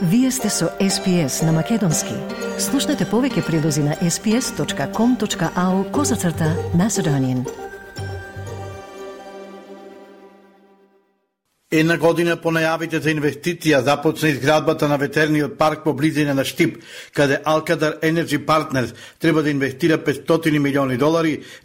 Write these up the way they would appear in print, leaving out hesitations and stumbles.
Вие сте со SPS на Македонски. Слушнете повеќе прилози на sps.com.au/Macedonian. Една година по најавите за инвестиција започна изградбата на ветерниот парк по близина на Штип, каде Alcadar Energy Partners треба да инвестира $500 милиони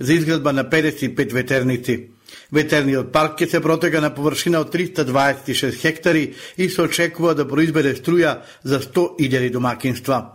за изградба на 55 ветерници. Ветерниот парк ќе се протега на површина од 326 хектари и се очекува да произведе струја за 100.000 домакинства.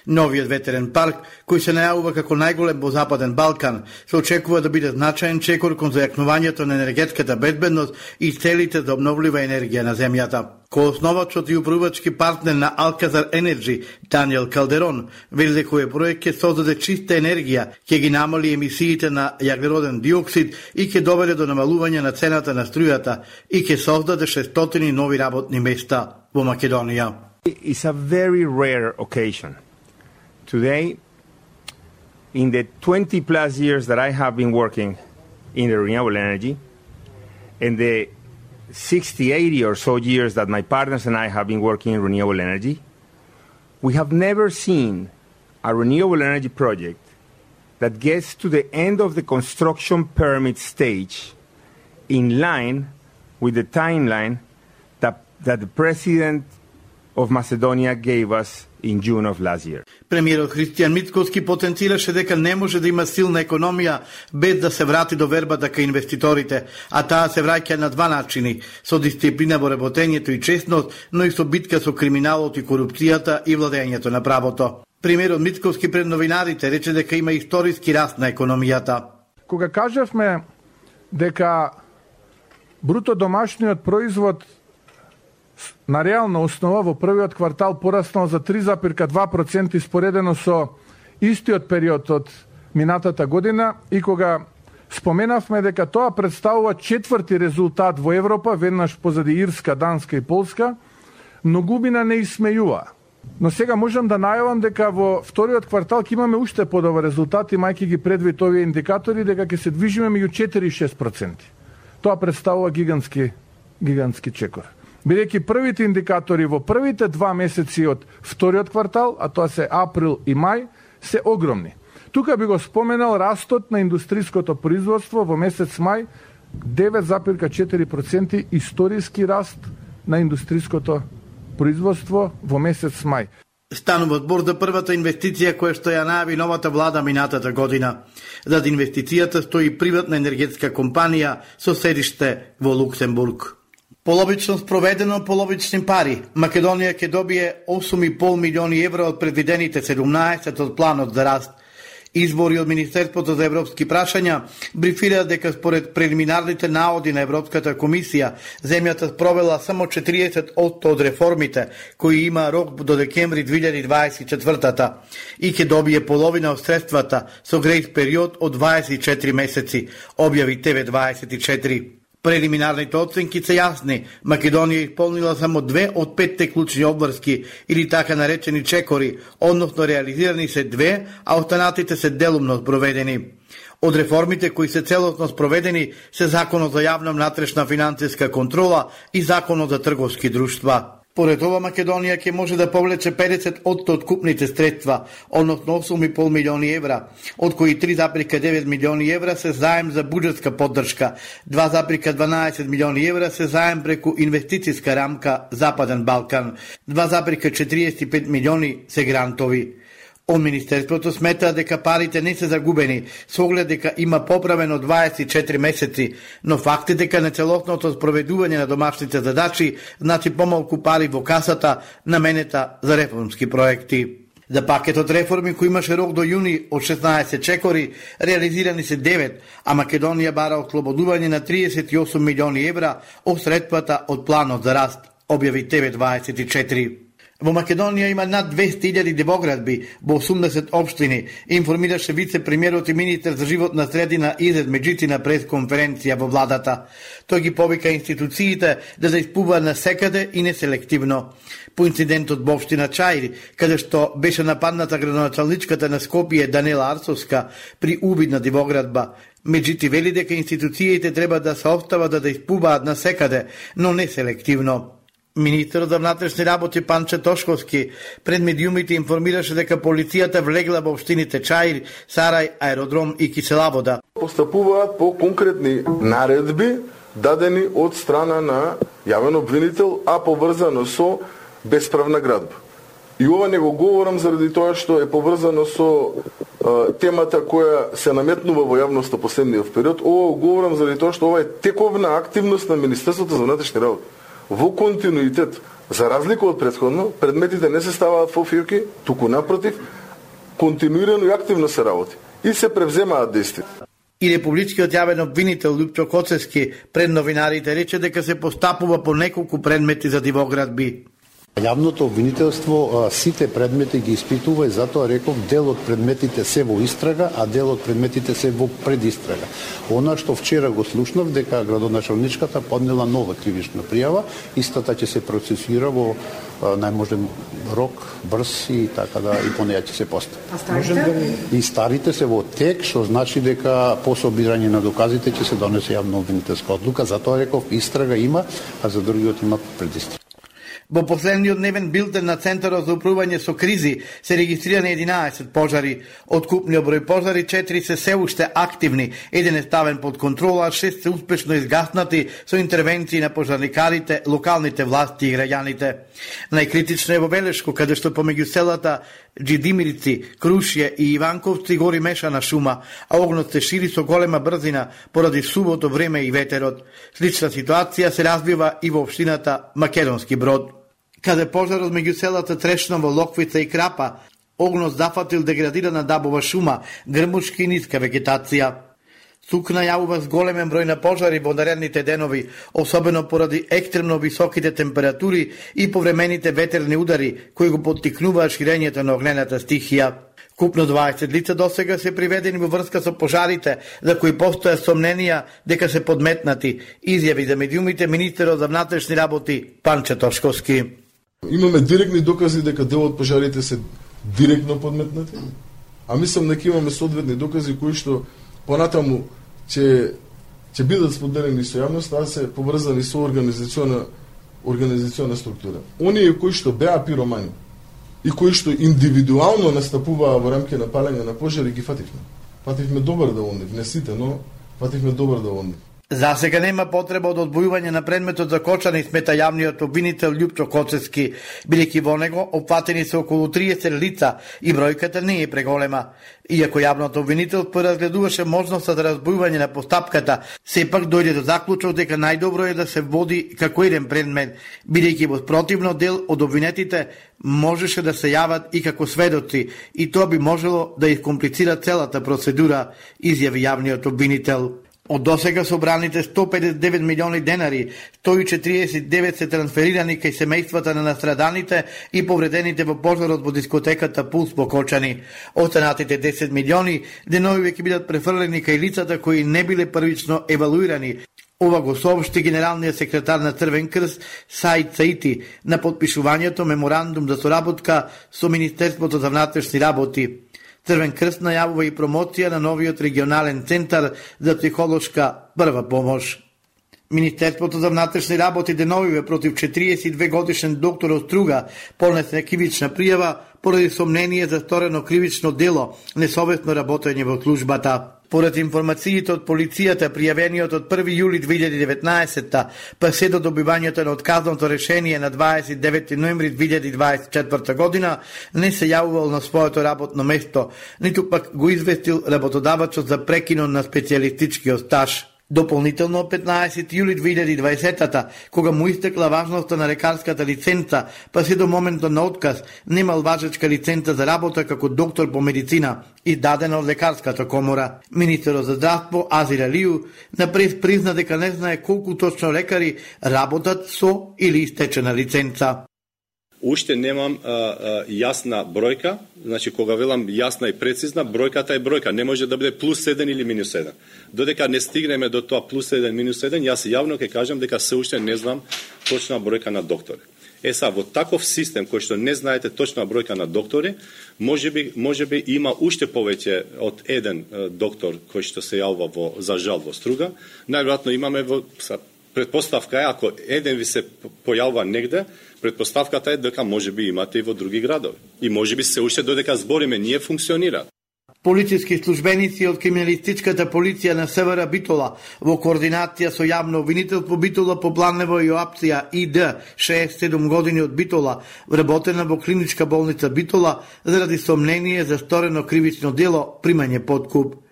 Новиот ветерен парк, кој се најавува како најголем во Западен Балкан, се очекува да биде значаен чекор кон зајакнувањето на енергетската безбедност и целите за обновлива енергија на земјата. Коосновачот и управувачки партнер на Alcadar Energy, Даниел Калдерон, вели дека овој проект ќе создаде чиста енергија, ќе ги намали емисиите на јаглероден диоксид и ќе доведе до намалување на цената на струјата и ќе создаде 600 нови работни места во Македонија. It's a very rare occasion. Today, in the 20 plus years that I have been working in the renewable energy, and the 60, 80 or so years that my partners and I have been working in renewable energy, we have never seen a renewable energy project that gets to the end of the construction permit stage in line with the timeline that the President of Macedonia gave us in June of last year. Премиерот Христијан Мицкоски потенцираше дека не може да има силна економија без да се врати до вербата кај инвеститорите, а таа се враќа на два начини: со дисциплина во работењето и честност, но и со битка со криминалот и корупцијата и владењето на правото. Премиерот Мицкоски пред новинарите рече дека има историски раст на економијата. Кога кажавме дека бруто домашниот производ на реална основа во првиот квартал пораснал за 3,2% споредено со истиот период од минатата година, и кога споменавме дека тоа представува четврти резултат во Европа, веднаш позади Ирска, Данска и Полска, многумина не исмејува. Но сега можам да најавам дека во вториот квартал ќе имаме уште подобар резултат, имајќи ги предвид овие индикатори, дека ќе се движиме меѓу 4 и 6%. Тоа представува гигантски чекор. Бидејќи првите индикатори во првите 2 месеци од вториот квартал, а тоа се април и мај, се огромни. Тука би го споменал растот на индустриското производство во месец мај, 9,4% историски раст на индустриското производство во месец мај. Станува збор за првата инвестиција која што ја најави новата влада минатата година. Зад инвестицијата стои приватна енергетска компанија со седиште во Луксембург. Половично спроведено, половични пари. Македонија ќе добие 8,5 милиони евра од предвидените 17 од планот за раст. Извори од Министерството за европски прашања брифира дека според прелиминарните наоди на Европската комисија, земјата спровела само 40% од реформите, кои има рок до декември 2024 и ќе добие половина од средствата со грејс период од 24 месеци, објави TV24. Прелиминарните оценки се јасни. Македонија исполнила само 2 од 5 клучни обврски или така наречени чекори, односно реализирани се 2, а останатите се делумно спроведени. Од реформите кои се целосно спроведени се Законот за јавна внатрешна финансиска контрола и Законот за трговски друштва. Поред ова, Македонија ќе може да повлече 50% од купните средства, односно 8,5 милиони евра, од кои 3,9 милиони евра се заем за буџетска поддршка, 2,12 милиони евра се заем преку инвестицијска рамка Западен Балкан, 2,45 милиони се грантови. Од Министерството смета дека парите не се загубени, со оглед дека има поправено 24 месеци, но факт е дека нецелосното спроведување на домашните задачи значи помалку пари во касата наменета за реформски проекти. За пакетот реформи кој имаше рок до јуни од 16 чекори, реализирани се 9, а Македонија бара ослободување на 38 милиони евра од средствата од планот за раст, објави TV24. Во Македонија има над 200.000 демоградби во 80 општини, информираше вице-премиерот и министер за животна средина Изет Меджици на пресконференција во владата. Тој ги повика институциите да се испуваат на секаде и неселективно. По инцидентот во општина Чаир, каде што беше нападната градоначалничката на Скопје Данела Арсовска при убид на демоградба, Меджици вели дека институциите треба да се остават да испуваат на секаде, но не селективно. Министерот за внатрешни работи Панче Тошковски пред медиумите информираше дека полицијата влегла во општините Чаир, Сарај, Аеродром и Киселавода. Постапуваат по конкретни наредби дадени од страна на јавен обвинител, а поврзано со бесправна градба. И ова не го говорам заради тоа што е поврзано со темата која се наметнува во јавноста последниот период. Ова го говорам заради тоа што ова е тековна активност на Министерството за внатрешни работи. Во континуитет, за разлика од претходно, предметите не се ставаат во фирки, туку напротив, континуирано и активно се работи и се превземаат действија. И републичкиот јавен обвинител Лјупчо Коцевски пред новинарите рече дека се постапува по неколку предмети за дивоградби. Јавното обвинителство сите предмети ги испитува и затоа реков дел од предметите се во истрага, а дел од предметите се во предистрага. Она што вчера го слушнав дека градоначалничката поднела нова кривична пријава, истата ќе се процесира во најможен рок, брз и така да и по неја ќе се постапи. А старите? И старите се во тек, што значи дека по собирање на доказите ќе се донесе јавно обвинителска одлука, затоа реков истрага има, а за другиот има предистрага. Во последниот дневен билтен на Центарот за управување со кризи се регистрирани 11 пожари. Од купниот број пожари 4 се уште активни, еден е ставен под контрола, 6 се успешно изгаснати со интервенции на пожарникарите, локалните власти и граѓаните. Најкритично е во Велешко, каде што помеѓу селата Джидимирици, Крушје и Иванковци гори мешана шума, а огнот се шири со голема брзина поради сувото време и ветерот. Слична ситуација се развива и во општината Македонски Брод, каде пожарот меѓу селата Трешново, Локвица и Крапа, огнот зафатил деградирана дабова шума, грмушки и ниска вегетација. СУК најавува зголемен број на пожари во наредните денови, особено поради екстремно високите температури и повремените ветерни удари, кои го поттикнуваат ширењето на огнената стихија. Купно 20 лица досега се приведени во врска со пожарите, за кои постоја сомненија дека се подметнати, изјави за медиумите министерот за внатрешни работи Панче Тошковски. Имаме директни докази дека дел од пожарите се директно подметнати, а мислам дека имаме соодветни докази кои што понатаму ќе бидат споделени со јавноста, а се поврзани со организациона структура. Оние кои што беа пиромани и кои што индивидуално настапуваа во рамки на палење на пожари, ги фативме. Фативме добар да онив, не сите, но фативме добар да онив. За сега нема потреба од одбојување на предметот за кочани, смета јавниот обвинител Лјупчо Коцевски, бидејќи во него опфатени се околу 30 лица и бројката не е преголема. Иако јавното обвинител поразгледуваше можноста за разбојување на постапката, сепак дојде до заклучок дека најдобро е да се води како еден предмет, бидејќи во спротивно дел од обвинетите можеше да се јават и како сведоци, и тоа би можело да искомплицира целата процедура, изјави јавниот обвинител. Од досега собраните 159 милиони денари, 149 се трансферирани кај семејствата на настраданите и повредените во пожарот во дискотеката Пулс во Кочани. Останатите 10 милиони денови ќе бидат префрлени кај лицата кои не биле првично евалуирани. Ова го соопшти генералниот секретар на Црвен крст Саид Саити на подпишувањето меморандум за соработка со Министерството за внатрешни работи. Црвен крст најавува и промоција на новиот регионален центар за психолошка прва помош. Министерството за внатрешни работи деновиве против 42 годишен доктор Оструга понесе кривична пријава поради сомнение за сторено кривично дело, несовесно работење во службата. Поред информациите од полицијата, пријавениот од 1 јули 2019 па се до добивањето на отказното решение на 29 ноември 2024 година, не се јавувал на своето работно место, ниту пак го известил работодавачот за прекинот на специјалистичкиот стаж. Дополнително 15 јули 2020-та, кога му истекла важноста на лекарската лиценца, па се до моментот на отказ, немал важечка лиценца за работа како доктор по медицина, издадена од лекарската комора. Министерот за здравство Азир Алију на прес призна дека не знае колку точно лекари работат со или истечена лиценца. Уште немам јасна бројка, значи кога велам јасна и прецизна, бројката е бројка, не може да биде плюс 7 или минус 7. Додека не стигнеме до тоа плюс 1, минус 1, јас јавно ќе кажам дека се уште не знам точна бројка на доктори. Во таков систем кој што не знаете точна бројка на доктори, можеби има уште повеќе од еден доктор кој што се јавува за жал во Струга. Најверојатно имаме Предпоставка е, ако еден ви се појавува негде, предпоставката е дека можеби имате и во други градови. И можеби се уште додека збориме, ние функционира. Полициски службеници од криминалистичката полиција на СВР Битола во координација со јавно обвинителство Битола по Планево и опција ИД 67 години од Битола, вработена во клиничка болница Битола заради сомнение за сторено кривично дело примање подкуп.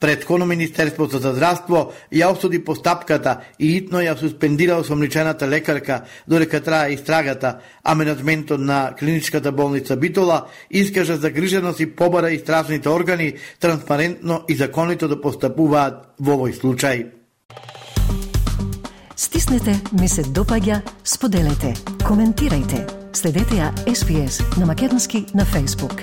Претходно Министерството за здравство ја осуди постапката и итно ја суспендира осомничената лекарка додека трае истрагата, а менеджментот на клиничката болница Битола искажа загриженост и побара истражните органи транспарентно и законито да постапуваат во овој случај. Стиснете, ми се допаѓа, споделете, коментирајте. Следете ја SPS на Македонски на Facebook.